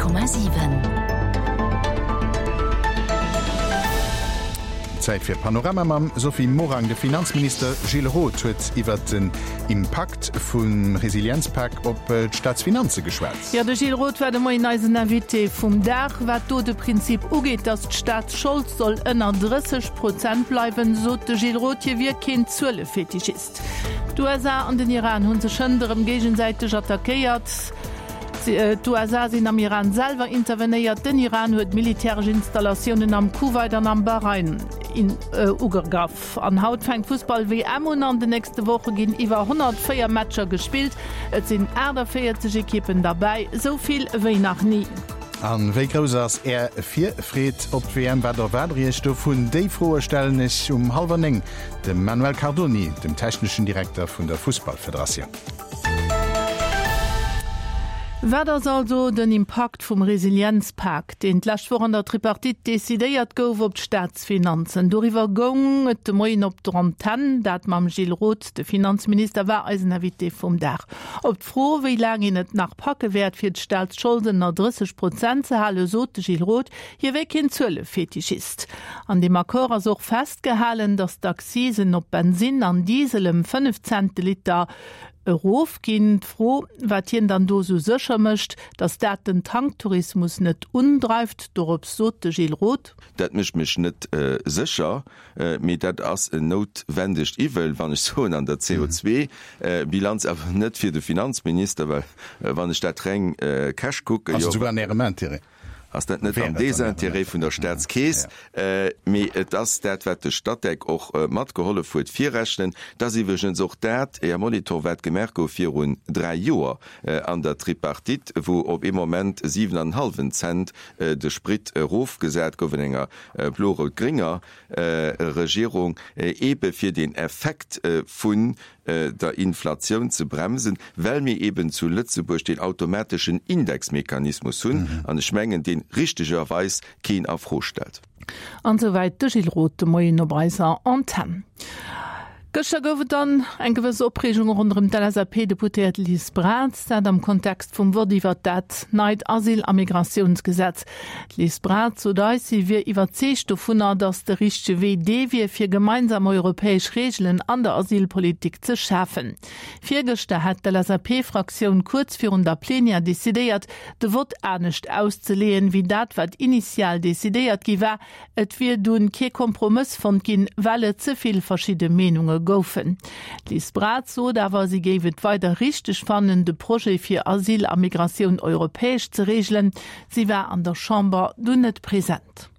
100,7. Zäit fir Panorama mam Sophie Morang. De Finanzminister Gilles Roth huet iwwert den Impakt vum Resilienzpak op d'Staatsfinanze geschwat. Jo, de Gilles Roth war de Moien eisen Invité vum Dag. Wat do de Prinzip ugeet, datt d'Staatsschold soll ënner 30 Prozent bleiwen, sot de Gilles Roth, hie wier keen Zuelefetischist. D'USA an den Iran hu sech hënt erëm géigesäiteg attackéiert. D'USA sinn am Iran selwer intervenéiert. Den Iran huet militäresch Installatiounen am Kuwait an am Bahrain ugegraff. An haut fänkt d'Fussball-WM un. An den nächste Woche ginn iwwer 104 Matcher gespillt. Et sinn 48 Ekippen derbäi, esou vill wéi nach ni. A wéi grouss ass Är Virfreed op d'WM? Wat erwaart Der Iech dovun? Déi Froe stellen ech um hallwer 9 Dem Manuel Cardoni, dem techneschen Direkter vun der Fussballfederatioun. Wat ass also den Impakt vum Resilienzpak, deen d'lescht Woch an der Tripartite decidéiert gouf, op d'Staatsfinanzen? Doriwwer goung et de Moien op der Antenn, dat mam Gilles Roth. De Finanzminister war eisen Invité vum Dag. Op d'Fro, wéi laang een et nach packe wäert, fir d'Staatschold ënner 30 Prozent ze halen, sot de Gilles Roth, hie wär keen Zuelefetischist. An deem Accord ass och festgehalen, datt d'Accisen op Bensinn an Diesel ëm 5 Cent de Liter erofginn. D'Fro, wat hien dann do esou sécher mécht, datt dat den Tanktourismus net undreift, dorops sot de Gilles Roth. Dat mécht mech net sécher, mee dat ass en noutwendegt Iwwel, wann ech soen, an der CO2-Bilanz, awer net fir de Finanzminister, well wann ech dat reng cash kucken, Ass et esouguer an Ärem Intérêt? ass dat net am Désintérêt vun der Staatskeess, mee et ass dat, wat de Statec och matgehollef huet virrechnen. Et ass iwwregens och dat, Här Molitor, wat gemaach gouf virun dräi Joer an der Tripartite, wou op ee Moment siwen an en hallwen Cent de Sprit erofgesat gouf an enger blo-rout-grénger Regierung, eebe fir den Effekt vun der Inflatioun ze bremsen, well mir eben zu Lëtzebuerg deen automateschen Indexmechanismus hunn, an ech mengen, deen richtegerweis keen a Fro stellt. An esouwäit de Gilles Roth de Moien op eiser Antenn. Gëschter gouf et dann eng gewëss Opreegung ronderëm d'LSAP-Deputéiert Liz Braz, dat am Kontext vum Vott iwwert dat neit Asyl a Migratiounsgesetz. D'Liz Braz sot eis, si wier iwwerzeegt dovunner, datt de richtege Wee dee wier, fir gemeinsam europäesch Reegelen an der Asylpolitik ze schafen. Virgëschter hätt d'LSAP-Fraktioun kuerz virun der Plenière decidéiert, de Vott anescht auszeleeën, wéi dat, wat initial decidéiert gi war. Et wier dunn kee Kompromëss fonnt ginn, well et ze vill verschidde Meenunge goufen. D'Liz Braz sot awer, si géif et weider richteg fannen, de Projet fir Asyl a Migratioun europäesch ze reegelen. Si war an der Chamber dunn net present.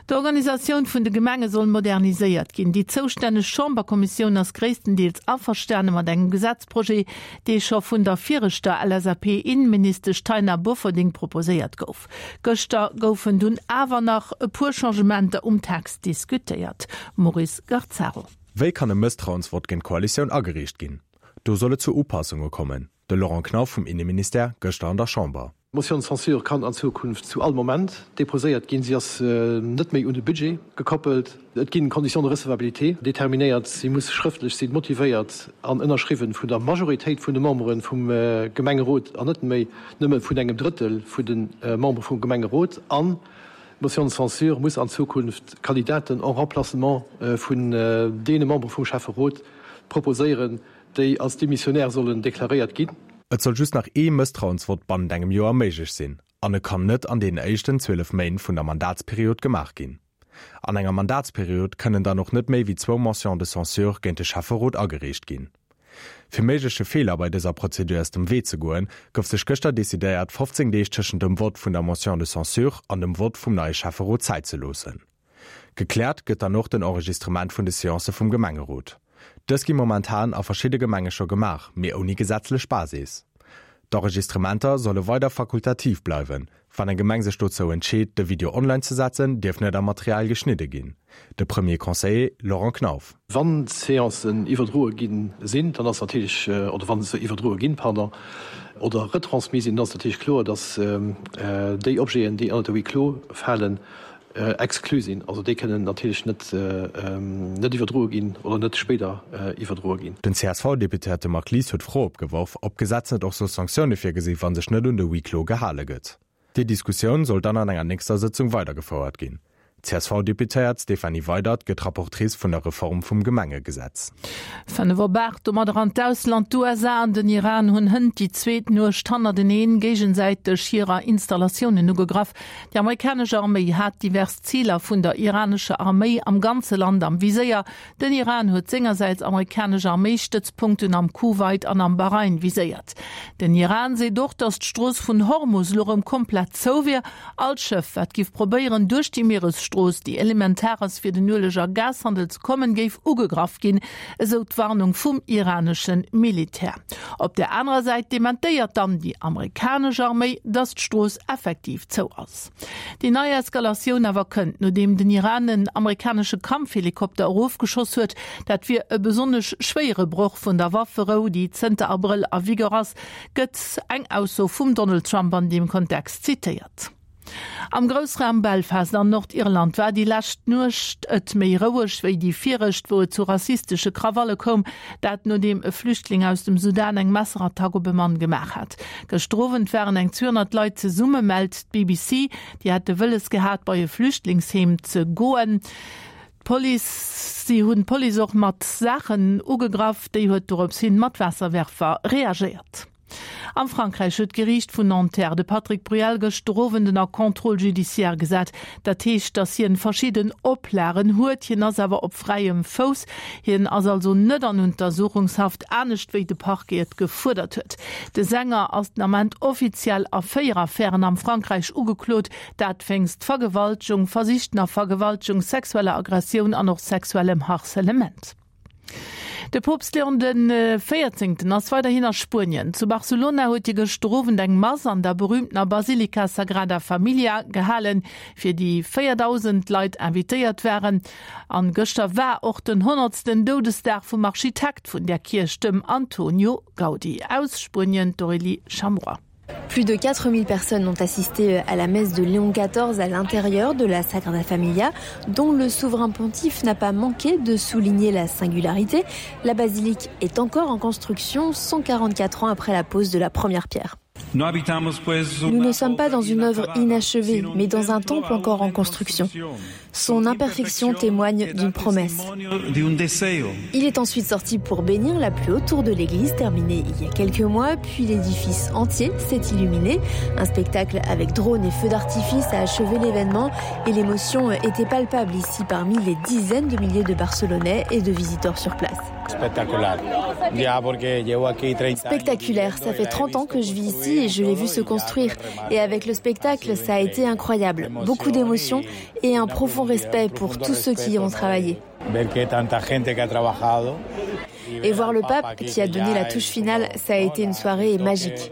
D'Organisatioun vun de Gemenge soll moderniséiert ginn. Déi zoustänneg Chamberkommissioun ass gréisstendeels averstane mat engem Gesetzprojet, dee scho vun der viregter LSAP-Inneministesch Taina Bofferding proposéiert gouf. Gëschter goufen dunn awer nach e puer Changementer um Text diskutéiert. Maurice Garzaro. Wéi kann e Mësstrauensvott géint d'Koalitioun agereecht ginn? Do soll et zu Upassunge kommen. De Laurent Knauf vum Inneministère gëschter an der Chamber. D'Motion de censure kann an Zukunft zu all Moment déposéiert ginn. Si ass net méi un de Budget gekoppelt. Et ginn Conditions de recevabilité determinéiert. Si muss schrëftlech sinn, motivéiert an ënnerschriwwen vun der Majoritéit vun de Membere vum Gemengerot an net méi nëmme vun engem Drëttel vun de Membere vum Gemengerot. An d'Motion de censure muss an Zukunft Kandidaten en remplacement vun deene Membere vum Schäfferot proposéieren, déi als démissionnaire sollen deklaréiert ginn. Et soll just nach ee Mësstrauensvott bannent engem Joer méiglech sinn an e kann net an deenen éischten 12 Méint vun der Mandatsperiod gemaach ginn. An enger Mandatsperiod kënnen dann och net méi wéi zwou Motions de censure géint de Schäfferot agereecht ginn. Fir méigleche Feeler bei dëser Prozedur aus dem Wee ze goen, gouf sech gëschter decidéiert, 15 Deeg tëschent dem Vott vun der Motion de censure an dem Vott vum neie Schäfferot Zäit ze loossen. Gekläert gëtt dann och den Enregistrement vun de Seancë vum Gemengerot. Dës gi momentan a verschidde Gemenge scho gemaach, mee ouni gesetzlech Basis. D'Enregistrementer solle weider fakultativ bleiwen. Wann eng Gemeng sech dozou entscheet, de Video online ze setzen, dierf net am Material geschnidde ginn. De Premier Conseiller Laurent Knauf. Wann d'Seancen iwwerdroe gi sinn, dann ass natierlech, oder wa se iwwerdroe ginn, pardon, oder retransmis sinn, dann ass natierlech kloer, datt déi Objeten, déi ënnert de Huis clos falen, exclu sinn. Also déi kënnen natierlech net net iwwerdroe ginn oder net spéider iwwerdroe ginn. Den CSV-Deputéierte Marc Lies huet d'Fro opgeworf, ob d'Gesetz net och soll Sanktioune virgesi wa sech net un de Huis clos gehale gëtt. Déi Diskussioun soll dann an enger nächster Sëtzung weidergefouert ginn. D'CSV-Deputéiert Stéphanie Weydert gëtt Rapportrice vun der Reform vum Gemengegesetz. 5 op 8, domadder an d'Ausland, D'USA an den Iran hunn hënt déi zweet Nuecht hannerteneen géigesäiteg hirer Installatiounen ugegraff. Déi amerikanesch Arméi hat divers Ziler vun der iranescher Arméi am ganze Land am Viséier. Den Iran huet sengersäits amerikanesch Arméistëtzpunkten am Kuwait an am Bahrain viséiert. Den Iran seet och, datt d'Strooss vun Hormus elo rëm komplett zou wier. All Schëff, wat giff probéieren, duerch déi Mieresstrooss, déi elementar ass fir den Ueleg a Gashandel ze kommen, géif ugegraff ginn, esou d'Warnung vum iranesche Militär. Op der anerer Säit dementéiert dann déi amerikanesch Arméi, datt d'Strooss effektiv zou ass. Déi nei Eskalatioun awer kënnt, nodeem den Iran en amerikanesche Kampfhelikopter erofgeschoss huet. Dat wier e besonnesch schwéiere Broch vun der Wafferou, déi zënter Abrëll a Vigueur ass, gëtt eng Ausso vum Donald Trump an deem Kontext zitéiert. Am Groussraum Belfast an Nordirland war déi lescht Nuecht et méi roueg wéi déi viregt, wou et zu rassistesche Krawalle koum. Dat nodeem e Flüchtling aus dem Sudan eng Messerattack op e Mann gemaach hat. Gëschter Owend waren eng 200 Leit zesumme, mellt d'BBC. Déi hätte wëlles gehat, bei e Flüchtlingsheem ze goen. D'Police, si hunn d'Police och mat Saachen ugegraff. Déi huet dorops hin mat Waasserwerfer reagéiert. Am Frankräich huet d'Geriicht vun Nanterre de Patrick Bruel gëschter Owend ënner Contrôle judiciaire gesat. Dat heescht, datt hien verschidden Oplagen huet. Hien ass awer op fräiem Fouss. Hien ass also net an Untersuchungshaft, anescht wéi de Parquet et gefuerdert huet. De Sänger ass den Ament offiziell a 4 Affären am Frankräich ugeklot, dat wéinst Vergewaltegung, versichtener Vergewaltegung, sexueller Aggressioun an och sexuellem Harcelement. De Poopst Leon de Véierzéngten ass weiderhin a Spuenien. Zu Barcelona huet hie gëschter Owend eng Mass an der berüümtener Basilika Sagrada Familia gehalen, fir déi 4.000 Leit invitéiert waren. An gëschter war och den honnertsten Doudesdag vum Architekt vun där Kierch, dem Antonio Gaudi. Aus Spuenien d'Aurélie Chameroy. Plus de 4000 personnes ont assisté à la messe de Léon XIV à l'intérieur de la Sagrada Familia, dont le souverain pontife n'a pas manqué de souligner la singularité. La basilique est encore en construction 144 ans après la pose de la première pierre. Nous ne sommes pas dans une œuvre inachevée, mais dans un temple encore en construction. Son imperfection témoigne d'une promesse. Il est ensuite sorti pour bénir la plus haute tour de l'église terminée il y a quelques mois, puis l'édifice entier s'est illuminé. Un spectacle avec drones et feux d'artifice a achevé l'événement et l'émotion était palpable ici parmi les dizaines de milliers de Barcelonais et de visiteurs sur place. Spectaculaire, ça fait 30 ans que je vis ici et je l'ai vu se construire. Et avec le spectacle, ça a été incroyable. Beaucoup d'émotions et un profond respect pour tous ceux qui y ont travaillé. Et voir le pape qui a donné la touche finale, ça a été une soirée magique.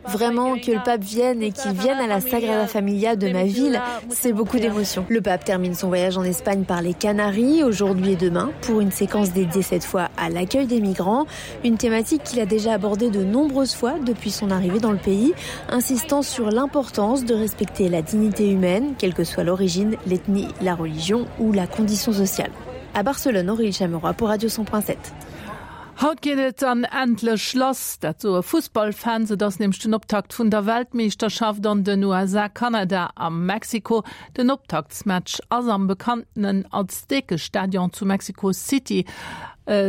Vraiment que le pape vienne et qu'il vienne à la Sagrada Familia de ma ville, c'est beaucoup d'émotions. Le pape termine son voyage en Espagne par les Canaries aujourd'hui et demain pour une séquence dédiée cette fois à l'accueil des migrants, une thématique qu'il a déjà abordée de nombreuses fois depuis son arrivée dans le pays, insistant sur l'importance de respecter la dignité humaine, quelle que soit l'origine, l'ethnie, la religion ou la condition sociale. À Barcelone, Aurélie Chameroy pour Radio 100.7. Haut geet et dann endlech lass, dat soe Fussballfans. Et ass nämlech den Optakt vun der Weltmeeschterschaft an den USA, Kanada a Mexiko. Den Optaktsmatch ass am bekanntenen Aztekestadion zu Mexico City.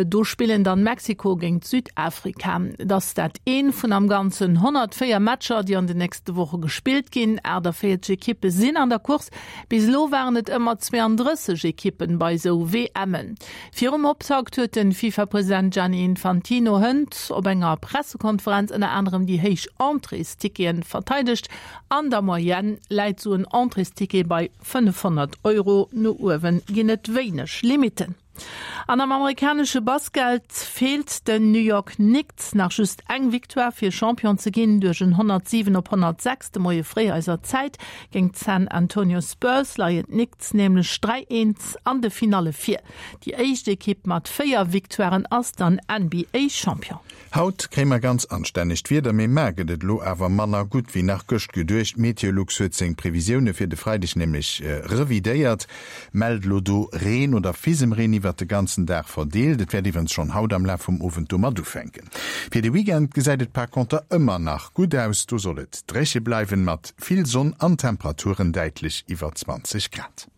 Do spillen dann Mexiko géint Südafrika. Et ass dat een vun am Ganzen 104 Matcher, déi an den nächste Woche gespillt ginn. 48 Ekippe sinn an der Course. Bis elo waren et ëmmer 32 Ekippen bei esou WMen. Virum Optakt huet de FIFA-President Gianni Infantino hënt op enger Pressekonferenz ënner anerem déi héich Entréesticketen verteidegt. An der Moyenne läit sou en Entréesticket bei 500 Euro, no uewen ginn et wéineg Limitten. An am amerikanesche Basket feelt den New York Knicks nach just eng Victoire fir Champion ze ginn. Duerch en 107 op 106 de Moie fréi eiser Zäit géint d'San Antonio Spurs leien d'Knicks nämlech 3, 1 an de Finalle vir. Déi éischt Ekipp mat 4 Victoiren ass dann NBA-Champion. Haut kréie mer ganz anstännegt Wieder, mee mar gëtt et elo awer manner gutt wéi nach gëscht geduecht. Meteolux huet seng Previsioune fir de Freideg nämlech revidéiert, mellt elo do Reen oder Fisemreen iwwer. iwwert de ganzen Dag verdeelt. Et wäert iwwerens schonn haut am Laf vum Owend domat ufänken. Fir de Weekend gesäit et par conter ëmmer nach gutt aus, do soll et dréche bleiwen, mat vill Sonn an Temperaturen däitlech iwwer 20 Grad.